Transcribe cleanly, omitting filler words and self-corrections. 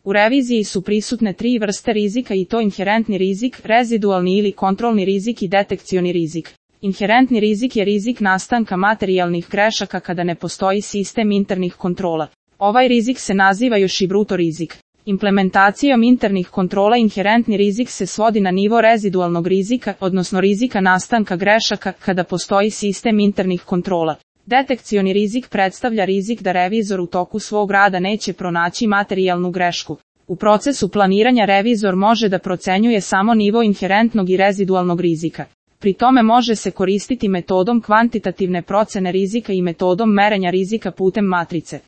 U reviziji su prisutne 3 vrste rizika i to inherentni rizik, rezidualni ili kontrolni rizik i detekcioni rizik. Inherentni rizik je rizik nastanka materijalnih grešaka kada ne postoji sistem internih kontrola. Ovaj rizik se naziva još i bruto rizik. Implementacijom internih kontrola inherentni rizik se svodi na nivo rezidualnog rizika, odnosno rizika nastanka grešaka kada postoji sistem internih kontrola. Detekcioni rizik predstavlja rizik da revizor u toku svog rada neće pronaći materijalnu grešku. U procesu planiranja revizor može da procenjuje samo nivo inherentnog i rezidualnog rizika. Pri tome može se koristiti metodom kvantitativne procene rizika i metodom merenja rizika putem matrice.